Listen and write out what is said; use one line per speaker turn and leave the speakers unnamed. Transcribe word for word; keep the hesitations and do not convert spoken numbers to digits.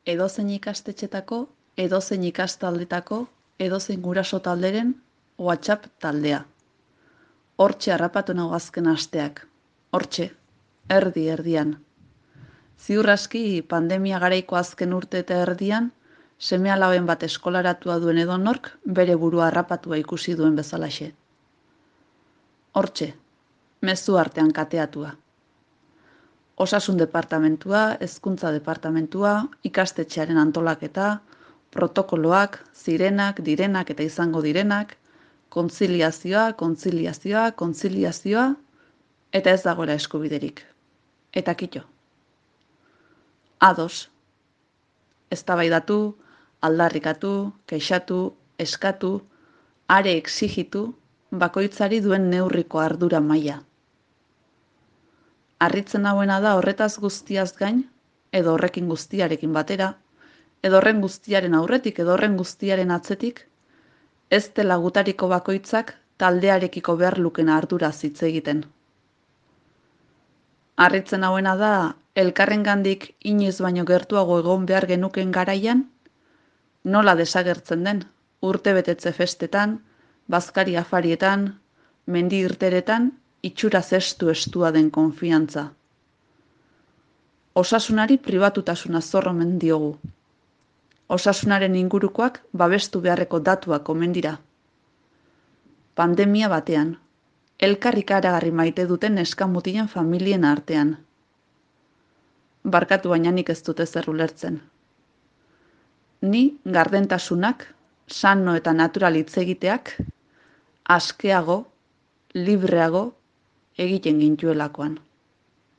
edozein ikastetxetako, edozein ikastaldetako, edozein guraso talderen WhatsApp taldea. Hortxe harrapatu nago azken asteak. Hortxe, erdi erdian. Ziur aski pandemia garaiko azken urte eta erdian, seme-alaben bat eskolaratua duen edonork bere burua harrapatua ikusi duen bezalaxe. Hortxe, mezu artean kateatua. Osasun departamentua, hezkuntza departamentua, ikastetxearen antolaketa, protokoloak, zirenak, direnak eta izango direnak, kontziliazioa, kontziliazioa, kontziliazioa, eta ez dagoela eskubiderik. Eta kito. Ados. Eztabaidatu, aldarrikatu, kexatu, eskatu, are exigitu, bakoitzari duen neurriko ardura maila. Harritzen hauena da horretaz guztiaz gain, edo horrekin guztiarekin batera, edo horren guztiaren aurretik, edo horren guztiaren atzetik, ez dela gutariko bakoitzak taldearekiko behar lukena ardura hitz egiten. Harritzen hauena da, elkarrengandik inoiz baino gertuago egon behar genuken garaian, nola desagertzen den, urtebetetze festetan, bazkari afarietan, mendi irteretan, itxura zestu estua den konfiantza. Osasunari pribatutasuna zor omen diogu. Osasunaren ingurukoak babestu beharreko datuak omen dira. Pandemia batean, elkarrik aragarri maite duten neskamutilen familien artean. Barkatu baina nik ez dute zer ulertzen. Ni gardentasunak, sano eta natural hitz egiteak, askeago, libreago egiten gintuelakoan.